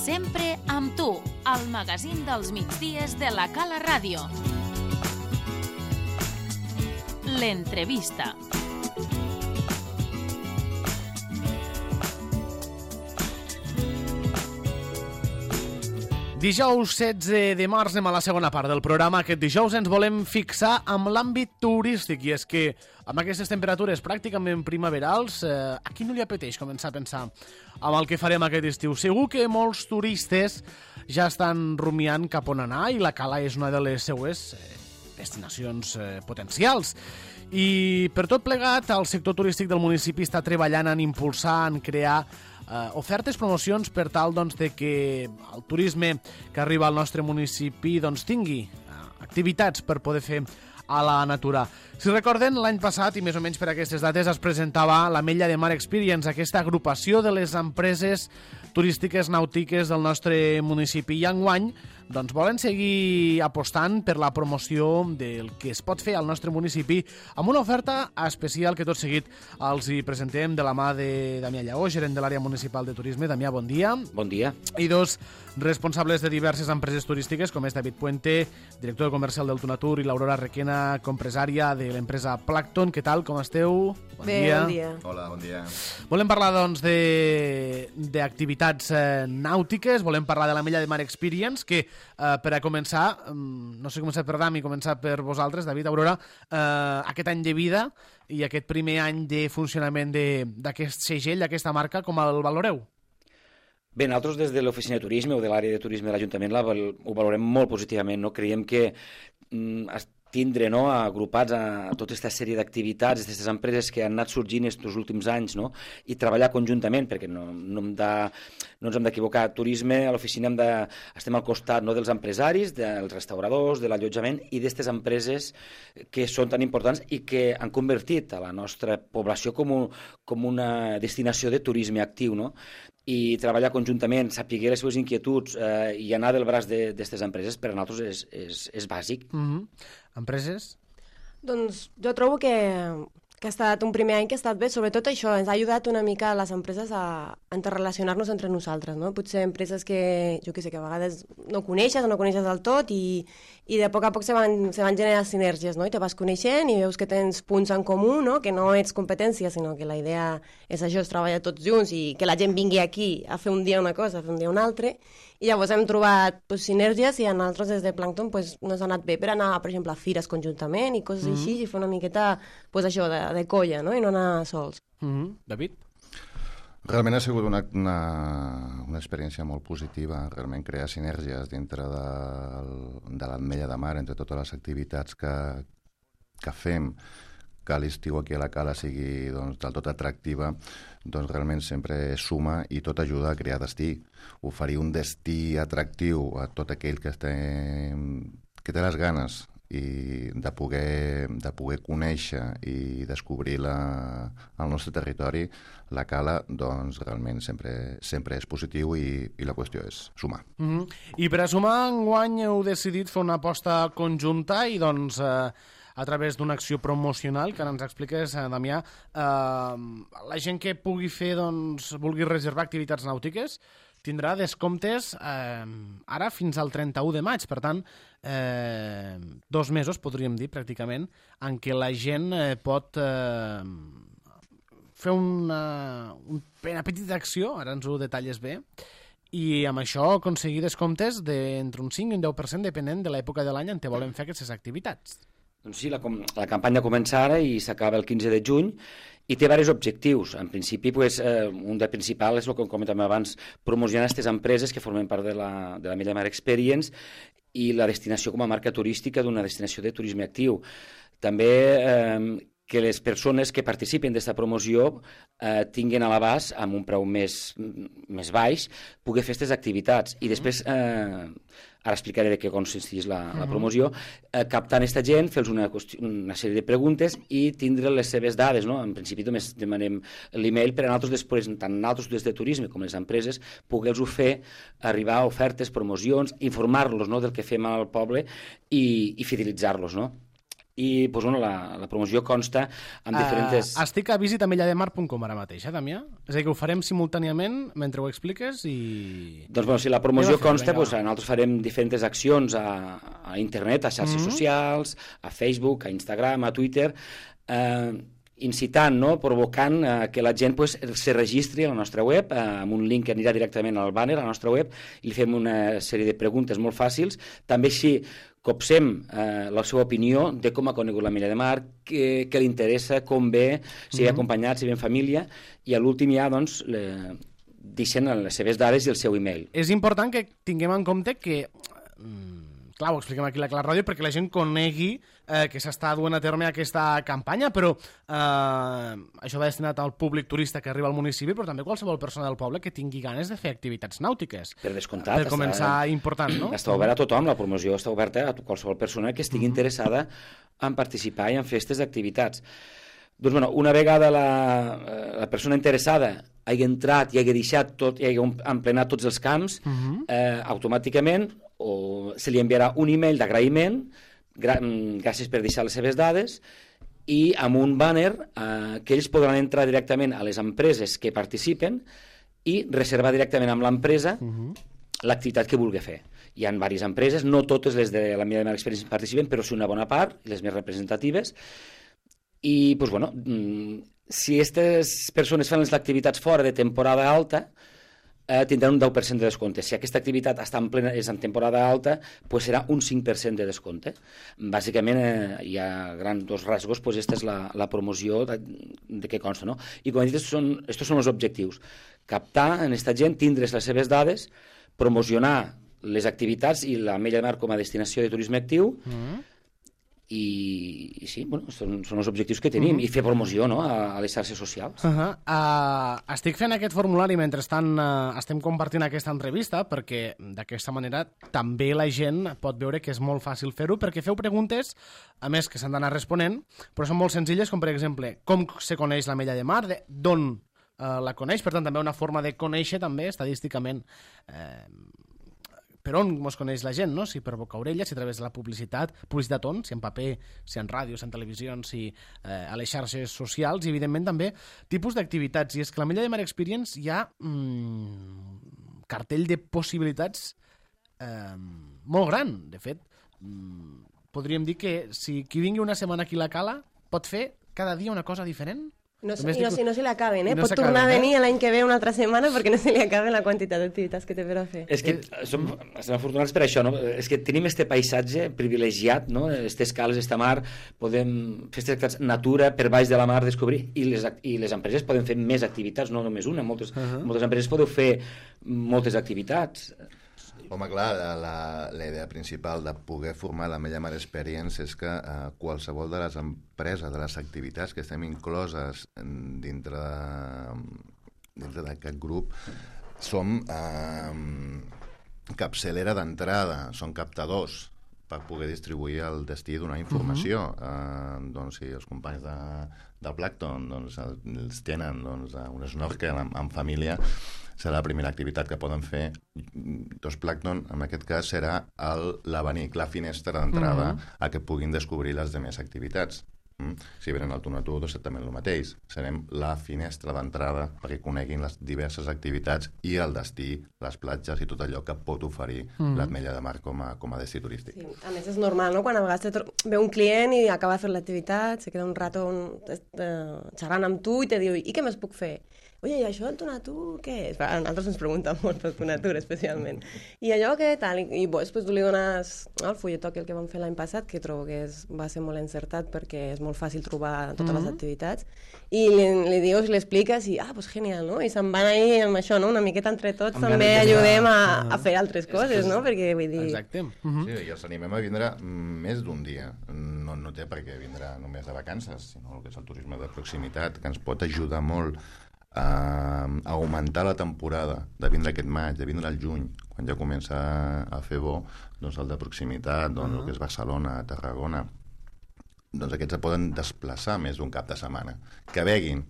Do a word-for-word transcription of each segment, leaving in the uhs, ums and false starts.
Sempre amb tu, al magazín dels migdies de la Cala Ràdio. L'entrevista. Dijous setze de març anem a la segona part del programa. Aquest dijous ens volem fixar amb l'àmbit turístic i és que amb aquestes temperatures pràcticament primaverals eh, a qui no li apeteix començar a pensar amb el que farem aquest estiu? Segur que molts turistes ja estan rumiant cap on anar i la Cala és una de les seues eh, destinacions eh, potencials. I per tot plegat, el sector turístic del municipi està treballant en impulsar, en crear Uh, ofertes, promocions per tal doncs, de que el turisme que arriba al nostre municipi doncs, tingui uh, activitats per poder fer a la natura. Si recorden, l'any passat, i més o menys per aquestes dates, es presentava l'Ametlla de Mar Experience, aquesta agrupació de les empreses turístiques nàutiques del nostre municipi. I enguany doncs, volen seguir apostant per la promoció del que es pot fer al nostre municipi amb una oferta especial que tot seguit els hi presentem de la mà de Damià Lleó, gerent de l'àrea municipal de turisme. Damià, bon dia. Bon dia. I dos responsables de diverses empreses turístiques, com és David Puente, director comercial del Tunatur, i l'Aurora Requena, compresària de l'empresa Plankton. Què tal, com esteu? Bon Bé, dia. bon dia. Hola, bon dia. Volem parlar, doncs, d'activitats eh, nàutiques, volem parlar de l'Ametlla de Mar Experience, que, eh, per a començar, no sé començar per Dami, començar per vosaltres, David, Aurora, eh, aquest any de vida i aquest primer any de funcionament d'aquest segell, d'aquesta marca, com el valoreu? Bé, nosaltres des de l'oficina de turisme o de l'àrea de turisme de l'Ajuntament la, ho valorem molt positivament. No? Creiem que mm, tindre no, agrupats a, a tota aquesta sèrie d'activitats, aquestes empreses que han anat sorgint aquests últims anys, no? I treballar conjuntament, perquè no, no, hem de, no ens hem d'equivocar. Turisme, a l'oficina hem de, estem al costat no, dels empresaris, dels restauradors, de l'allotjament i d'aquestes empreses que són tan importants i que han convertit a la nostra població com, un, com una destinació de turisme actiu, no? I treballar conjuntament, saber les seves inquietuds eh, i anar del braç d'aquestes empreses per a nosaltres és, és, és bàsic. Mm-hmm. Empreses? Doncs jo trobo que, que ha estat un primer any que ha estat bé, sobretot això, ens ha ajudat una mica a les empreses a, a interrelacionar-nos entre nosaltres, no? Potser empreses que, jo què sé, que a vegades no coneixes o no coneixes del tot i, i de poc a poc se van, se van generar sinergies, no? I te vas coneixent i veus que tens punts en comú, no? Que no ets competència, sinó que la idea és això, és treballar tots junts i que la gent vingui aquí a fer un dia una cosa, a fer un dia una altra. I llavors hem trobat pues, sinergies i a nosaltres des de Plankton pues, ens ha anat bé per anar, per exemple, a fires conjuntament i coses mm-hmm. així i fer una miqueta pues, això de, de colla, no? I no anar sols. Mm-hmm. David? Realment ha sigut una, una, una experiència molt positiva, realment crear sinergies dintre de, de l'Ametlla de Mar, entre totes les activitats que, que fem, que l'estiu aquí a la Cala sigui doncs, del tot atractiva, doncs realment sempre suma i tot ajuda a crear destí. Oferir un destí atractiu a tot aquell que, té, que té les ganes i de poder, de poder conèixer i descobrir la, el nostre territori, la Cala, doncs realment sempre, sempre és positiu i, i la qüestió és sumar. Mm-hmm. I per a sumar, enguany heu decidit fer una aposta conjunta i doncs eh, a través d'una acció promocional que ara ens expliques, eh, Damià, eh, la gent que pugui fer, doncs, vulgui reservar activitats nàutiques tindrà descomptes eh, ara fins al trenta-u de maig, per tant, eh, dos mesos, podríem dir, pràcticament, en què la gent eh, pot eh, fer una, una petita acció, ara ens ho detalles bé, i amb això aconseguir descomptes d'entre un cinc i un deu per cent, depenent de l'època de l'any en què volen fer aquestes activitats. Doncs sí, la, la campanya comença ara i s'acaba el quinze de juny i té diversos objectius. En principi, pues, eh, un de principal és el que comentàvem abans, promocionar aquestes empreses que formen part de la, de l'Ametlla de Mar Experience i la destinació com a marca turística d'una destinació de turisme actiu. També eh, que les persones que participen d'aquesta promoció eh, tinguin a l'abast, amb un preu més, més baix, poder fer aquestes activitats. I després, eh, ara explicaré de què consisteix la, la promoció, eh, captant aquesta gent, fer-los una, una sèrie de preguntes i tindre les seves dades. No? En principi només demanem l'email per a nosaltres després, tant nosaltres des de turisme com les empreses, poder-los fer arribar a ofertes, promocions, informar-los no, del que fem al poble i, i fidelitzar-los, no? i doncs, bueno, la, la promoció consta en diferents... Uh, estic a visita mella de mar punt com ara mateix, eh, Damià? És a dir, que ho farem simultàniament mentre ho expliques i... Doncs, bueno, si la promoció fer, consta, vinga, doncs, nosaltres farem diferents accions a, a internet, a xarxes mm-hmm. socials, a Facebook, a Instagram, a Twitter, eh, incitant, no? Provocant eh, que la gent pues, se registri a la nostra web, eh, amb un link que anirà directament al banner, a la nostra web, i li fem una sèrie de preguntes molt fàcils. També així copsem eh, la seva opinió de com ha conegut la Mella de Mar, què, què li interessa, com ve, si ve acompanyat, si ve en família, i a l'últim ja, doncs, le, deixen les seves dades i el seu e-mail. És important que tinguem en compte que... Mm, clar, ho expliquem aquí a la Clara Ràdio perquè la gent conegui eh, que s'està duent a terme aquesta campanya, però eh, això va destinat al públic turista que arriba al municipi, però també qualsevol persona del poble que tingui ganes de fer activitats nàutiques. Per descomptat. Per començar, està, important, no? Està oberta a tothom, la promoció està oberta a qualsevol persona que estigui mm-hmm. interessada en participar i en festes d'activitats. Doncs, bueno, una vegada la, la persona interessada hagi entrat i hagi deixat tot, i hagi emplenat tots els camps, mm-hmm. eh, automàticament o se li enviarà un e-mail d'agraïment, gra gràcies per deixar les seves dades, i amb un banner eh, que ells podran entrar directament a les empreses que participen i reservar directament amb l'empresa uh-huh. l'activitat que vulgui fer. Hi ha diverses empreses, no totes les de la Mella de Mar Experience participen, però sí una bona part, les més representatives, i doncs, bueno, si aquestes persones fan les activitats fora de temporada alta, Eh, tindran un deu per cent de descompte. Si aquesta activitat està en plena, és en temporada alta, pues serà un cinc per cent de descompte. Bàsicament, eh, hi ha grans dos rasgos, pues esta és la, la promoció de, de què consta, no? I com he dit, estos són, estos són els objectius. Captar en aquesta gent, tindre's les seves dades, promocionar les activitats i la Mella de Mar com a destinació de turisme actiu, mm-hmm. I, i sí, bueno, són, són els objectius que tenim, uh-huh. i fer promoció, no?, a, a les xarxes socials. Uh-huh. uh, estic fent aquest formulari mentrestant uh, estem compartint aquesta entrevista, perquè d'aquesta manera també la gent pot veure que és molt fàcil fer-ho, perquè feu preguntes, a més que s'han d'anar responent, però són molt senzilles, com per exemple, com se coneix la Mella de Mar, d'on uh, la coneix, per tant també una forma de conèixer també estadísticament eh, per on mos coneix la gent, no? Si per boca orella, si a través de la publicitat, publicitat on, si en paper, si en ràdio, si en televisió, si eh, a les xarxes socials, i evidentment també tipus d'activitats. I és que la Mella de Mar Experience hi ha mm, cartell de possibilitats eh, molt gran. De fet, mm, podríem dir que si qui vingui una setmana aquí a la Cala pot fer cada dia una cosa diferent. No, i no, si no se li acaben, eh? No Pot tornar a venir eh? l'any que ve una altra setmana perquè no se li acaben la quantitat d'activitats que té per a fer. És que som, som afortunats per això, no? És que tenim este paisatge privilegiat, no? Estes cales, esta mar, podem fer aquestes activitats, natura, per baix de la mar, descobrir, i les, i les empreses poden fer més activitats, no només una. Moltes, uh-huh. moltes empreses podeu fer moltes activitats. Home, clar, la, la idea principal de poder formar la Mella Mar Experience és que eh, qualsevol de les empreses, de les activitats que estem incloses dintre, dintre d'aquest grup, som eh, capçalera d'entrada, són captadors per poder distribuir el destí, donar informació. Uh-huh. eh, doncs si els companys de, del Plàncton doncs, els tenen doncs, un snorkel en, en família, serà la primera activitat que poden fer. Dos Plàncton, en aquest cas, serà l'abanic, la finestra d'entrada uh-huh. a que puguin descobrir les demés activitats. Mm? Si venen al Tuna Tour, doncs també el mateix. Serem la finestra d'entrada perquè coneguin les diverses activitats i el destí, les platges i tot allò que pot oferir mm. l'Ametlla de Mar com a, com a destí turístic. Sí, a més és normal, no? Quan a vegades ve un client i acaba de fer l'activitat, se queda un rato un, eh, xerrant amb tu i te diu, i què més puc fer? Oye, i això del Tuna Tour, què és? A nosaltres ens pregunten molt pel Tuna Tour, especialment. I allò què tal? I, i després tu li dones no, el fulletó que el que vam fer l'any passat, que trobo que és, va ser molt encertat perquè és molt fàcil trobar totes mm-hmm. les activitats, i li, li dius, li expliques, i ah, pues genial, no? I se'n van ahir amb això, no? Una miqueta entre tots, amb també ajudem a, a fer altres coses, és, no? Perquè vull dir... Exacte. Mm-hmm. Sí, i els animem a vindre més d'un dia. No, no té per què vindre només de vacances, sinó el que és el turisme de proximitat, que ens pot ajudar molt a augmentar la temporada, de vindre aquest maig, de vindre al juny, quan ja comença a fer bo, doncs el de proximitat, doncs uh-huh. el que és Barcelona, Tarragona, doncs aquests se poden desplaçar més d'un cap de setmana. Que veguin,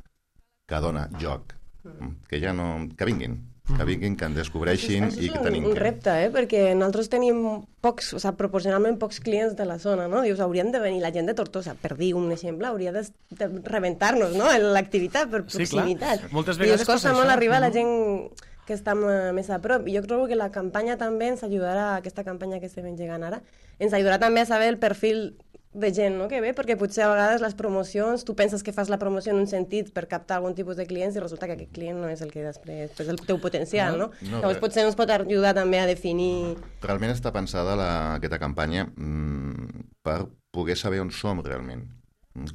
que dona joc, uh-huh. que ja no... que vinguin, que vinguin, que en descobreixin això i que és tenim un, un que... repte, eh? Perquè nosaltres tenim pocs, o sigui, proporcionalment pocs clients de la zona, no? Dius, haurien de venir la gent de Tortosa, per dir un exemple, hauria de, de rebentar-nos, no?, l'activitat per proximitat. Sí, clar. Moltes I vegades ens costa passa molt això. arribar a la Mhm. gent que està m- més a prop. I jo trobo que la campanya també ens ajudarà, aquesta campanya que estem engegant ara, ens ajudarà també a saber el perfil de gent, no?, que ve, perquè potser a vegades les promocions, tu penses que fas la promoció en un sentit per captar algun tipus de clients i resulta que aquest client no és el que després, és el teu potencial, no? No, Llavors bé. potser ens pot ajudar també a definir... Realment està pensada la, aquesta campanya mm, per poder saber on som realment,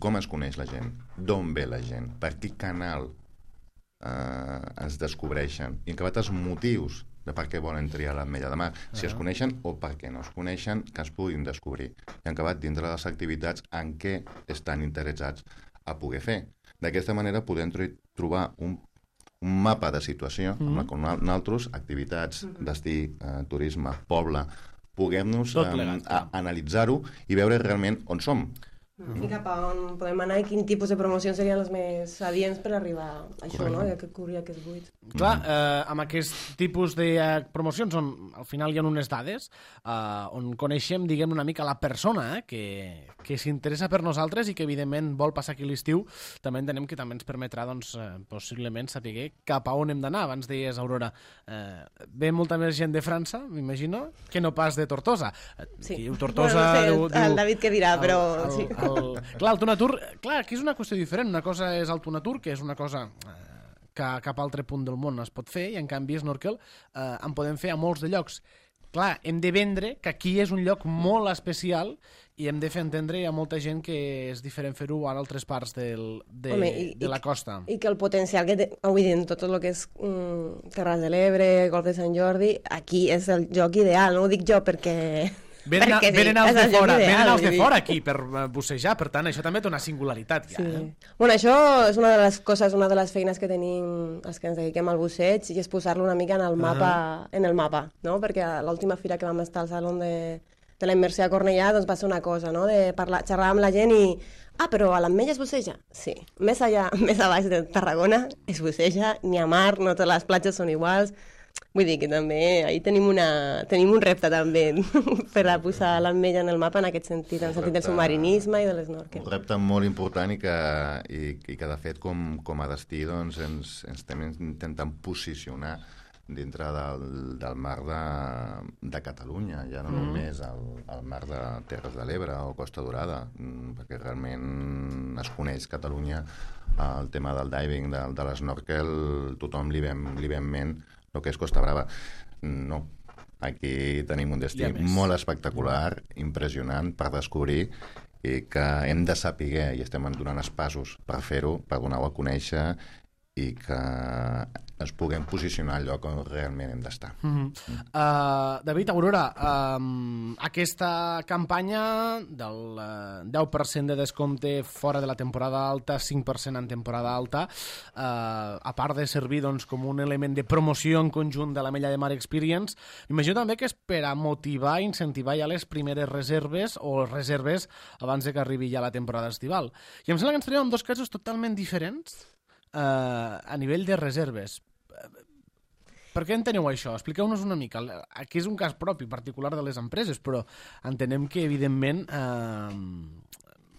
com es coneix la gent, d'on ve la gent, per quin canal eh, es descobreixen, i en acabat els motius de per què volen triar l'Ametlla de Mar, si es coneixen o per què no es coneixen, que es puguin descobrir. I en acabat dintre de les activitats en què estan interessats a poder fer. D'aquesta manera podem tro- trobar un, un mapa de situació mm-hmm. amb la qual nosaltres, activitats, destí, eh, turisme, poble, puguem-nos Tot eh, plegat, a- analitzar-ho i veure realment on som. I cap a on podem anar i quin tipus de promocions serien les més adients per arribar a això, no?, que cobrir aquests buits. Clar, eh, amb aquest tipus de eh, promocions on al final hi ha unes dades eh, on coneixem, diguem, una mica la persona eh, que, que s'interessa per nosaltres i que evidentment vol passar aquí l'estiu, també entenem que també ens permetrà doncs, eh, possiblement saber cap a on hem d'anar. Abans deies, Aurora, eh, ve molta més gent de França, m'imagino, que no pas de Tortosa. Sí. Qui diu Tortosa... Bueno, no sé, diu, diu, el David què dirà, però el, sí. el, el, clar, el Tonatur, clar, aquí és una qüestió diferent. Una cosa és el Tonatur, que és una cosa eh, que a cap altre punt del món es pot fer, i en canvi Snorkel eh, en podem fer a molts de llocs. Clar, hem de vendre que aquí és un lloc molt especial i hem de fer entendre a molta gent que és diferent fer-ho a altres parts del, de, Home, i- de i- la costa. I que el potencial que té, vull dir, en tot el que és mm, Terres de l'Ebre, Golf de Sant Jordi, aquí és el joc ideal, no ho dic jo perquè... Venen, perquè sí, venen els és de el joc fora, ideal, venen els vull de dir. fora aquí per eh, bussejar, per tant, això també té una singularitat. Ja, Sí. eh? Bueno, això és una de les coses, una de les feines que tenim els que ens dediquem al busseig, i és posar-lo una mica en el mapa, uh -huh. en el mapa, no? Perquè a l'última fira que vam estar al Saló de, de la Immersió a Cornellà, doncs va ser una cosa, no?, de parlar, xerrar amb la gent i... Ah, però a l'Ametlla es busseja? Sí. Més allà, més a baix de Tarragona es busseja, ni a mar, no totes les platges són iguals. Vull dir que també ahí tenim, una, tenim un repte també per a posar l'Ametlla en el mapa en aquest sentit, en el sentit del submarinisme i de l'esnorkel. Un repte molt important i que, i, i que de fet, com, com a destí, doncs, ens, ens estem intentant posicionar dintre del, del mar de, de Catalunya, ja no mm. només el, el mar de Terres de l'Ebre o Costa Dorada, perquè realment es coneix Catalunya, el tema del diving, de, de l'esnorkel, tothom li vem, li vem ment el que és Costa Brava. No, aquí tenim un destí molt espectacular, impressionant per descobrir, i que hem de saber, i estem donant els passos per fer-ho, per donar-ho a conèixer, i que ens puguem posicionar al lloc on realment hem d'estar. Mm -hmm. uh, David, Aurora, um, aquesta campanya del uh, deu per cent de descompte fora de la temporada alta, cinc per cent en temporada alta, uh, a part de servir doncs, com un element de promoció en conjunt de l'Ametlla de Mar Experience, m'imagino també que és per a motivar i incentivar ja les primeres reserves o reserves abans de que arribi ja la temporada estival. I em sembla que ens tenim en dos casos totalment diferents uh, a nivell de reserves. Per què enteneu això? Expliqueu-nos una mica. Aquí és un cas propi, particular de les empreses, però entenem que, evidentment, eh,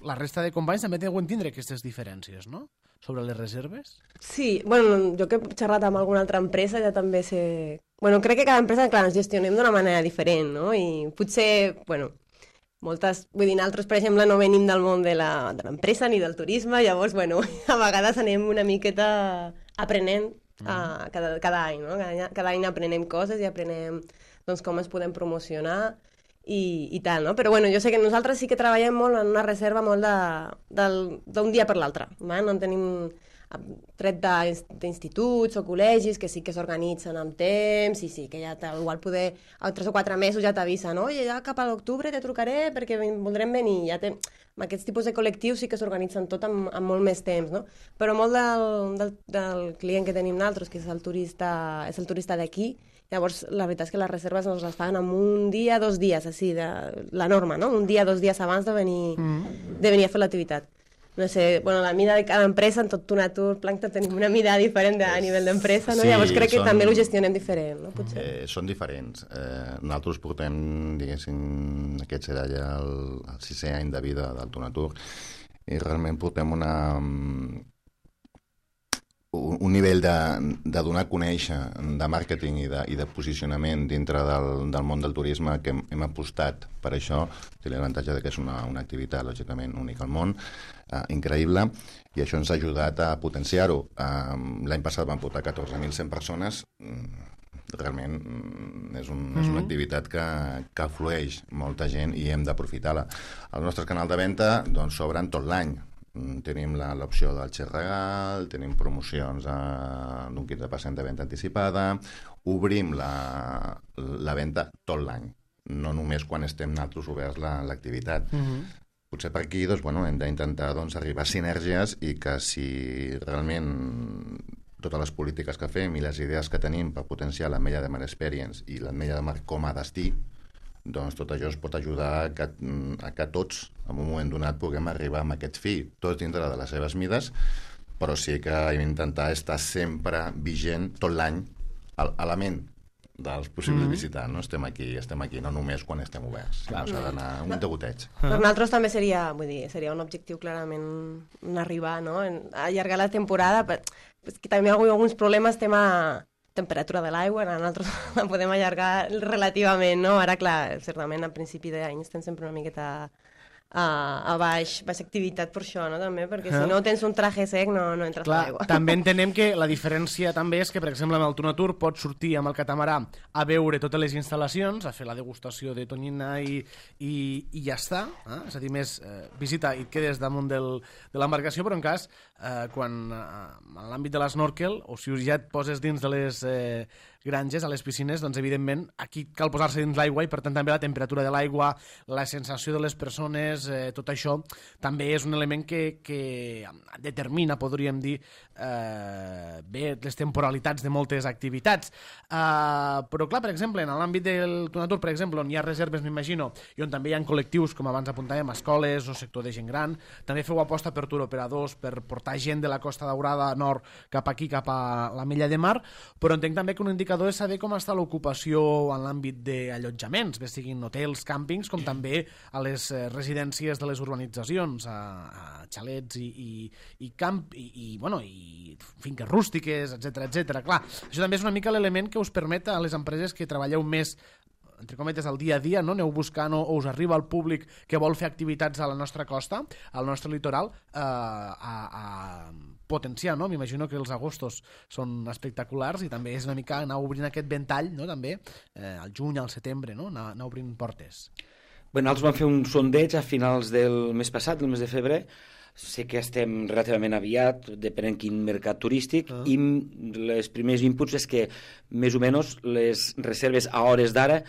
la resta de companys també deuen tindre aquestes diferències, no?, sobre les reserves. Sí, bueno, jo que he xerrat amb alguna altra empresa ja també sé... Bueno, crec que cada empresa, clar, ens gestionem d'una manera diferent, no? I potser, bueno, moltes... Vull dir, nosaltres, per exemple, no venim del món de la- de l'empresa ni del turisme, llavors, bueno, a vegades anem una miqueta aprenent Uh, cada, cada any, no? Cada any, cada any aprenem coses i aprenem doncs, com es podem promocionar i, i tal, no? Però bueno, jo sé que nosaltres sí que treballem molt en una reserva molt d'un dia per l'altre, no en tenim tret d'instituts o col·legis que sí que s'organitzen amb temps i sí que ja igual poder a tres o quatre mesos ja t'avisa, no? I ja cap a l'octubre te trucaré perquè voldrem venir, ja té... Amb aquests tipus de col·lectius sí que s'organitzen tot amb, amb molt més temps, no? Però molt del, del, del client que tenim nosaltres, que és el turista, és el turista d'aquí, llavors la veritat és que les reserves ens les fan en un dia, dos dies, així, de, la norma, no? Un dia, dos dies abans de venir, mm. de venir a fer l'activitat. no sé, bueno, la mida de cada empresa, en tot Tonatur, Plankton, tenim una mida diferent de, a nivell d'empresa, no? Sí, Llavors crec que són, també ho gestionem diferent, no? Potser. Eh, són diferents. Eh, nosaltres portem, diguéssim, aquest serà ja el, el sisè any de vida del Tonatur, i realment portem una, un, un nivell de, de donar a conèixer, de màrqueting i de, i de posicionament dintre del, del món del turisme, que hem, hem apostat per això. Té l'avantatge que és una, una activitat, lògicament, única al món, eh, increïble, i això ens ha ajudat a potenciar-ho. Eh, l'any passat vam portar catorze mil cent persones. Realment és, un, és una activitat que, que flueix molta gent i hem d'aprofitar-la. El nostre canal de venda doncs, s'obren tot l'any. Tenim l'opció del xec regal, tenim promocions eh, d'un quinze per cent de venda anticipada, obrim la, la venda tot l'any, no només quan estem nosaltres oberts l'activitat. La, uh-huh. Potser per aquí doncs, bueno, hem d'intentar doncs, arribar a sinergies i que si realment totes les polítiques que fem i les idees que tenim per potenciar l'Ametlla de Mar Experience i l'Ametlla de Mar com a destí, doncs tot això es pot ajudar a que, a que tots, en un moment donat, puguem arribar amb aquest fi, tots dintre de les seves mides, però sí que hem d'intentar estar sempre vigent tot l'any a la ment dels possibles mm-hmm. visitants. No? Estem aquí, estem aquí, no només quan estem oberts, sinó s'ha d'anar un degoteig. Per nosaltres també seria, vull dir, seria un objectiu clarament arribar, no? Allargar la temporada, però que també hi ha alguns problemes, tema temperatura de l'aigua, nosaltres la podem allargar relativament, no? Ara, clar, certament, a principi d'any estem sempre una miqueta a, a baix, baix activitat per això, no? També, perquè si no tens un traje sec no, no entres a l'aigua. També entenem que la diferència també és que, per exemple, amb el Tonatur pots sortir amb el catamarà a veure totes les instal·lacions, a fer la degustació de tonyina i, i, i ja està, eh? És a dir, més eh, visita i et quedes damunt del, de l'embarcació, però en cas, eh, quan eh, en l'àmbit de l'esnorkel, o si ja et poses dins de les eh, granges, a les piscines, doncs evidentment aquí cal posar-se dins l'aigua i per tant també la temperatura de l'aigua, la sensació de les persones, eh, tot això també és un element que, que determina, podríem dir, eh, bé, les temporalitats de moltes activitats. Eh, però clar, per exemple, en l'àmbit del Tonatur, per exemple, on hi ha reserves, m'imagino, i on també hi ha col·lectius, com abans apuntàvem, escoles o sector de gent gran, també feu aposta per turoperadors, per portar gent de la Costa Daurada nord cap aquí, cap a l'Ametlla de Mar, però entenc també que un indicador és saber com està l'ocupació en l'àmbit d'allotjaments, bé siguin hotels, càmpings, com també a les residències de les urbanitzacions, a, a xalets i, i, i camp, i, i, bueno, i finques rústiques, etcètera, etcètera. Clar, això també és una mica l'element que us permet a les empreses que treballeu més entre cometes, al dia a dia, no? Aneu buscant o, o us arriba el públic que vol fer activitats a la nostra costa, al nostre litoral, eh, a, a potenciar, no? M'imagino que els agostos són espectaculars i també és una mica anar obrint aquest ventall, no? També, eh, al juny, al setembre, no? Anar, anar obrint portes. Bé, nosaltres vam fer un sondeig a finals del mes passat, el mes de febrer. Sé que estem relativament aviat, depenent quin mercat turístic, ah. i les primers inputs és que més o menys les reserves a hores d'ara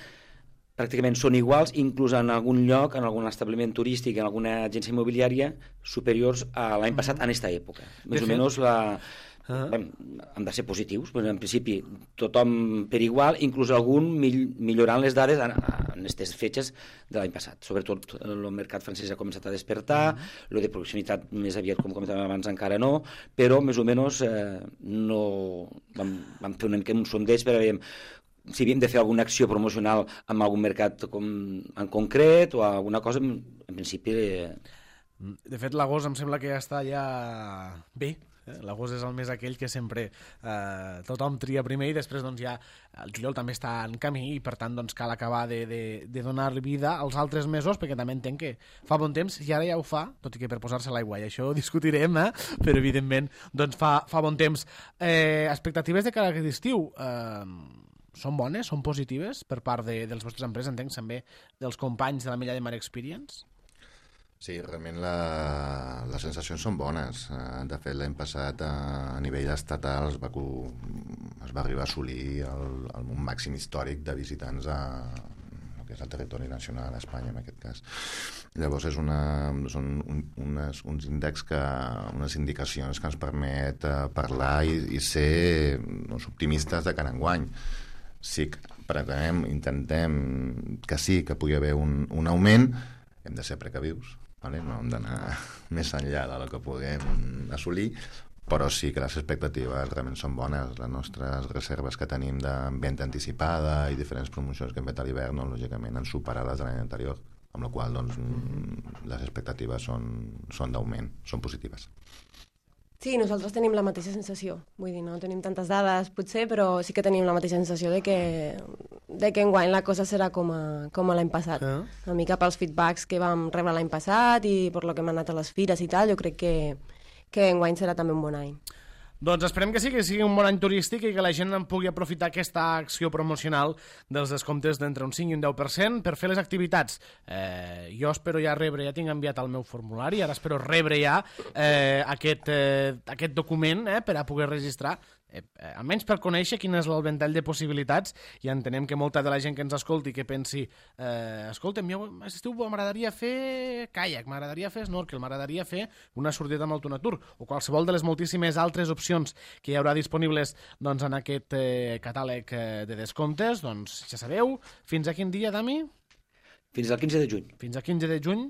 pràcticament són iguals, inclús en algun lloc, en algun establiment turístic, en alguna agència immobiliària, superiors a l'any passat en aquesta època. Més o menys la... Uh-huh. Bé, han de ser positius, però en principi tothom per igual, inclús algun mill millorant les dades en, en aquestes fetges de l'any passat. Sobretot el mercat francès ha començat a despertar, uh-huh. lo de proximitat més aviat, com comentàvem abans, encara no, però més o menys eh, no... vam, vam fer una mica un sondeig per a veure si havíem de fer alguna acció promocional amb algun mercat com, en concret o alguna cosa, en, en principi... Eh... De fet, l'agost em sembla que ja està ja bé. Eh? L'agost és el mes aquell que sempre eh, tothom tria primer i després doncs, ja el juliol també està en camí i per tant doncs, cal acabar de, de, de donar vida als altres mesos perquè també entenc que fa bon temps i ara ja ho fa, tot i que per posar-se l'aigua i això ho discutirem, eh? Però evidentment doncs, fa, fa bon temps. Eh, expectatives de cara a aquest estiu... Eh, són bones, són positives per part de, dels vostres empreses, entenc també dels companys de l'Ametlla de Mar Experience? Sí, realment la, les sensacions són bones. De fet, l'any passat a, a nivell estatal es va, es va arribar a assolir el, el màxim històric de visitants a, que és el territori nacional a Espanya en aquest cas. Llavors és una, són un, unes, uns índexs que, unes indicacions que ens permet uh, parlar i, i ser doncs, optimistes de cara a enguany. Sí que pretenem, intentem que sí, que pugui haver un, un augment, hem de ser precavius, vale? No hem d'anar més enllà del que puguem assolir, però sí que les expectatives realment són bones. Les nostres reserves que tenim de venda anticipada i diferents promocions que hem fet a l'hivern, no, lògicament han superat les de l'any anterior, amb la qual doncs, les expectatives són, són d'augment, són positives. Sí, nosaltres tenim la mateixa sensació. Vull dir, no tenim tantes dades, potser, però sí que tenim la mateixa sensació de que, de que enguany la cosa serà com a, com a l'any passat. Uh. Una mica pels feedbacks que vam rebre l'any passat i per lo que hem anat a les fires i tal, jo crec que, que enguany serà també un bon any. Doncs esperem que sí, que sigui un bon any turístic i que la gent en pugui aprofitar aquesta acció promocional dels descomptes d'entre un cinc i un deu per cent per fer les activitats. Eh, jo espero ja rebre, ja tinc enviat el meu formulari, ara espero rebre ja eh, aquest, eh, aquest document eh, per a poder registrar, eh, eh, almenys per conèixer quin és el ventall de possibilitats, i entenem que molta de la gent que ens escolti que pensi, eh, escolta'm, jo estiu m'agradaria fer caiac, m'agradaria fer snorkel, m'agradaria fer una sortida amb autonatur, o qualsevol de les moltíssimes altres opcions que hi haurà disponibles doncs, en aquest eh, catàleg eh, de descomptes, doncs ja sabeu, fins a quin dia, Dami? Fins al quinze de juny. Fins al quinze de juny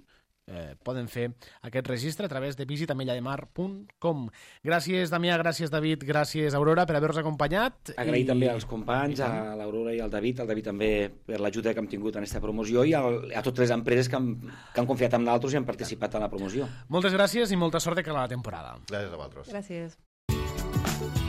eh, poden fer aquest registre a través de visita mellademar punt com. Gràcies, Damià, gràcies, David, gràcies, Aurora, per haver-nos acompanyat. Agrair i... també als companys, I... a l'Aurora i al David, al David també per l'ajuda que hem tingut en aquesta promoció, i al, a totes les empreses que han, que han confiat en nosaltres i han participat en la promoció. Moltes gràcies i molta sort de cara a la temporada. Gràcies a vosaltres. Gràcies.